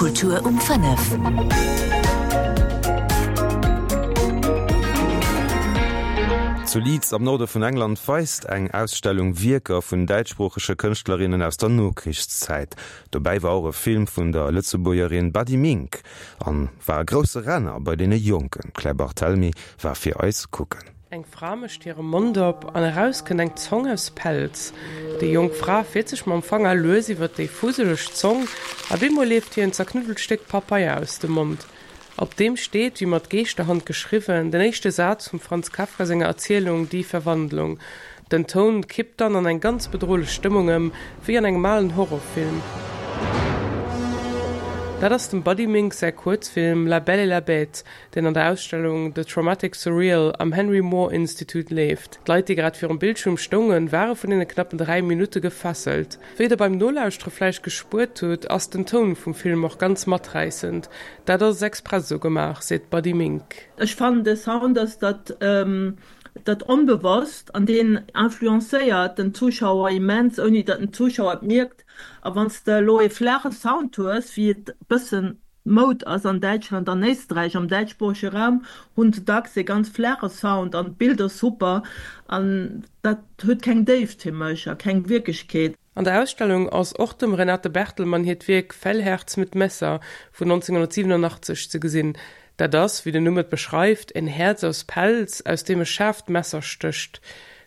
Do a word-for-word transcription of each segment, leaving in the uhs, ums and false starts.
Kultur um fënnef. Zu Leeds am Norde vun England weist eng Ausstellung Wierker vun däitschsproochege Kënschtlerinnen aus der Nokrichszäit. Dobäi war och e Film vun der Lëtzebuergerin Buddy Mink an war e grousse Renner bei deene Jonken. D'Claire Barthelmy war fir eis kucken. Eng Fra mécht hire Mond op an eraus kënnt eng Zong aus Pelz. Déi jonk Fra fiert sech mam Fanger lues iwwer déi fuseleg Zong a bemol leeft hir en zerknuddelt Stéck Papeier aus dem Mond. Op deem steet, wéi mat Geeschterhand geschriwwen, den éischte Saz vum Franz Kafka senger Erzielung Die Verwandlung. Den Toun kippt dann an eng ganz bedrohlech Stëmmung ëm, wéi an engem alen Horrorfilm. Dat ass dem Buddy Mink säi Kuerzfilm La Belle et la Bête, deen an der Ausstellung The Traumatic Surreal am Henry Moore Institute leeft. D'Leit, déi grad virum Bildschierm stoungen, ware vun deene knappen dräi Minutte gefesselt. Wéi der beim Nolauschtere vläicht gespuert hutt, ass den Toun vum Film och ganz maträissend. Dat ass express esou gemaach, seet d'Buddy Mink. Ech fannen de Sound ass dat dat onbewosst an deen influencéiert den Zuschauer immens, ouni datt den Zuschauer et mierkt. A wann s de elo ee flaache Sound hues, wéi et bëssen Moud ass an Däitschland an Éisträich, am däitschsproochege Raum hunn se dacks ee ganz flaache Sound an d'Bild ass super an dat huet keng Déift fir mech a keng Wierklechkeet. An der Ausstellung ass och dem Renate Bertelmann hiert Wierk Fellherz mit Messer vun nonzénghunnertsiwwenunachtzeg ze gesinn. Dat ass, wéi den Numm et beschreift, en Häerz aus Pelz, aus deem e schaarft Messer stécht.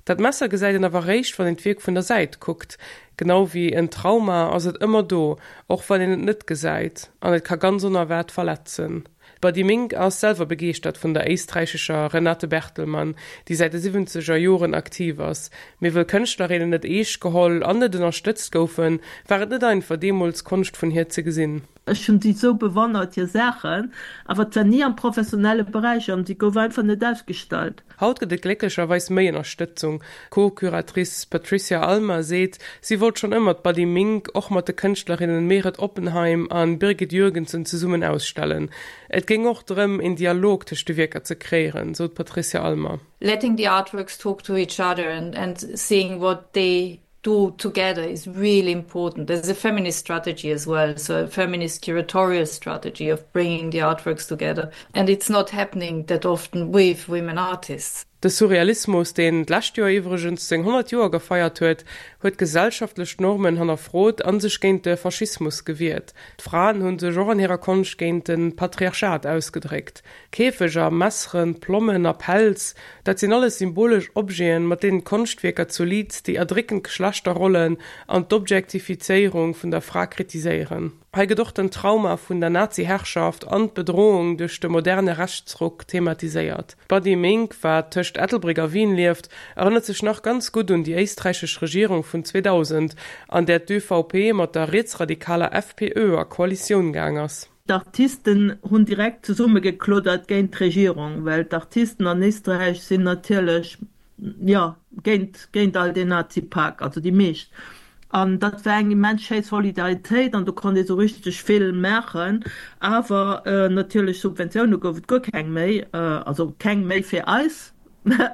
Dat Messer gesäit een awer réischt, wann een d'Wierk vun der Säit kuckt. Genau wéi en Trauma ass et ëmmer do, och wann een et net gesäit, an et ka ganz onerwaart verletzen. D'Buddy Mink ass selwer begeeschtert vun der éisträichescher Renate Bertelmann, déi säit de siwwenzeger Joren aktiv ass. Mee wëll Kënschtlerinnen net eescht geholl an net ënnerstëtzt goufen, war et net einfach, deemools Konscht vun hir ze gesinn. Ech hunn si sou bewonnert, hir Saachen, awer et war ni am professionelle Beräich an si gouf einfach net ausgestallt. Haut gëtt et glécklecherweis méi Ënnerstëtzung. D'Co-Curatrice Patricia Almer seet, si wollt schonn ëmmer d'Buddy Mink och mat de Kënschtlerinnen Meret Oppenheim a Birgit Jürgensen zesummen ausstellen. Et géing och drëm, een Dialog tëscht de Wierker ze kreéieren, sou d'Patricia Almer. Letting the artworks talk to each other and and seeing what they do together is really important. There's a feminist strategy as well, so a feminist curatorial strategy of bringing the artworks together. And it's not happening that often with women artists. De Surrealismus, deen d'lescht Joer iwwregens seng honnert Joer gefeiert huet, huet gesellschaftlech Normen hannerfrot a sech géint de Faschismus gewiert. D'Fraen hu sech och an hirer Konscht géint de Patriarchat ausgedréckt. Käfeger, Messeren, Plommen a Pelz, dat sinn alles symbolesch Objeten, mat deenen d'Konschtwierker zu Leeds déi erdréckend Geschlechterrollen an d'Objektifizéierung vun der Fra kritiséieren. Hei gëtt och den Trauma vun der Nazi-Herrschaft an d'Bedrohung duerch de moderne Rechtsruck thematiséiert. D'Buddy Mink, wat tëscht Ettelbréck a Wien lieft, erënnert sech nach ganz gutt un déi éisträichesch Regierung vun zweedausend, an där d'ÖVP mat der rietsradikaler FPÖ a Koalitioun gaang ass. D'Artisten hunn direkt zesummegekloddert géint d'Regierung, well d'Artisten an Éisträich sinn natierlech, jo, géint, géint all deen Nazipak, also déi meescht. An dat war eng immens schéi Solidaritéit an do konnt ee sou richteg vill maachen. Awer natierlech Subventioune gouf et guer keng méi, also keng méi fir eis,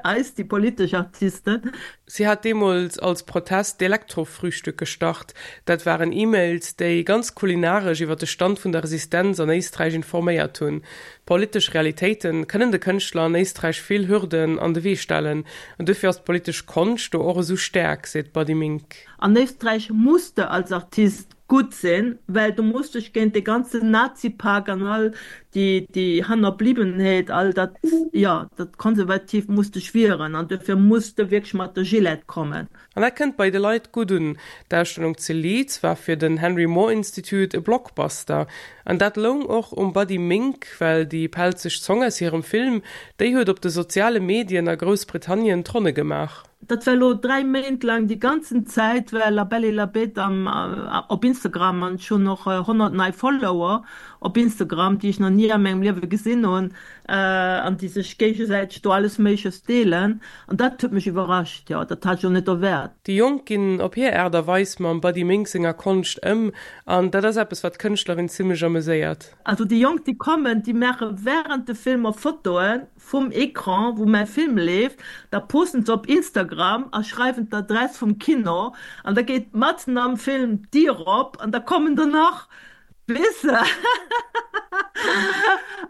eis déi politesch Artisten. Si hat deemools als Protest d'Elektrofrühstück gestart. Dat waren E-Mails, déi ganz kulinaresch iwwer de Stand vun der Resistenz an Éisträich informéiert hunn. Politesch Realitéite kënnen de Kënschtler an Éisträich vill Hürden an de Wee stellen. An dofir ass d'politesch Konscht do och esou staark, seet d'Buddy Mink. An Éisträich muss de als Artist gutt sinn, well du muss dech géint dee ganzen Nazipak an all déi déi Hannerbliwwenheet, all dat, jo, dat Konservatiivt muss dech wieren an dofir muss de wierklech mat der Gillette kommen. An dat kënnt bei de Leit gutt un. D'Ausstellung zu Leeds war fir den Henry Moore Institute e Blockbuster. An dat loung och um Buddy Mink, well déi pelzeg Zong aus hirem Film, déi huet op de soziale Medien a Groussbritannien d'Ronne gemaach. Dat war elo dräi Méint laang déi ganzen Zäit war La Belle et la Bête am op Instagram an ech hunn och honnert nei Follower op Instagram, déi ech nach ni a mengem Liewe gesinn hunn an déi sech géigesäiteg do alles Méigleches deelen an dat huet mech iwwerrascht, jo, dat hat ech och net erwaart. Déi Jonk ginn op hir Aart a Weis mam Buddy Mink senger Konscht ëm an dat ass eppes, wat d'Kënschtlerin zimmlech ameséiert. Also déi Jonk, déi kommen, déi maache wärend de Filmer Fotoen vum Ecran, wou mäi Film leeft, da posten se op Instagram a schreiwen d'Adress vum Kino an da geet matzen am Film d'Dier op an da kommen der nach. Weess de?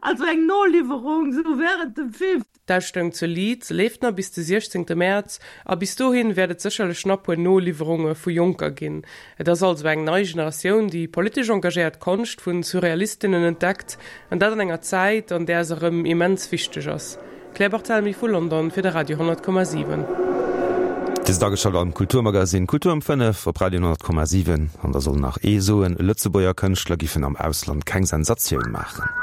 Also eng Noliwwerung sou während dem Film. D'Ausstellung zu Leeds leeft nach bis de siechzéngte Mäerz a bis dohin wäert et sécherlech nach puer Noliwwerunge vu Jonker ginn. Et ass also eng nei Generatioun, déi politesch engagéiert Konscht vu Surrealistinnen entdeckt, an dat an enger Zäit, an där se erëm immens wichteg ass. Claire Barthelmy vu London fir de Radio honnert Komma siwen. Dir sidd ageschalt am Kulturmagasinn Kultur um fënnef op Radio honnert Komma siwen. An da soll nach ee soen, Lëtzebuerger Kënschtler giffen am Ausland keng Sensatioun maachen.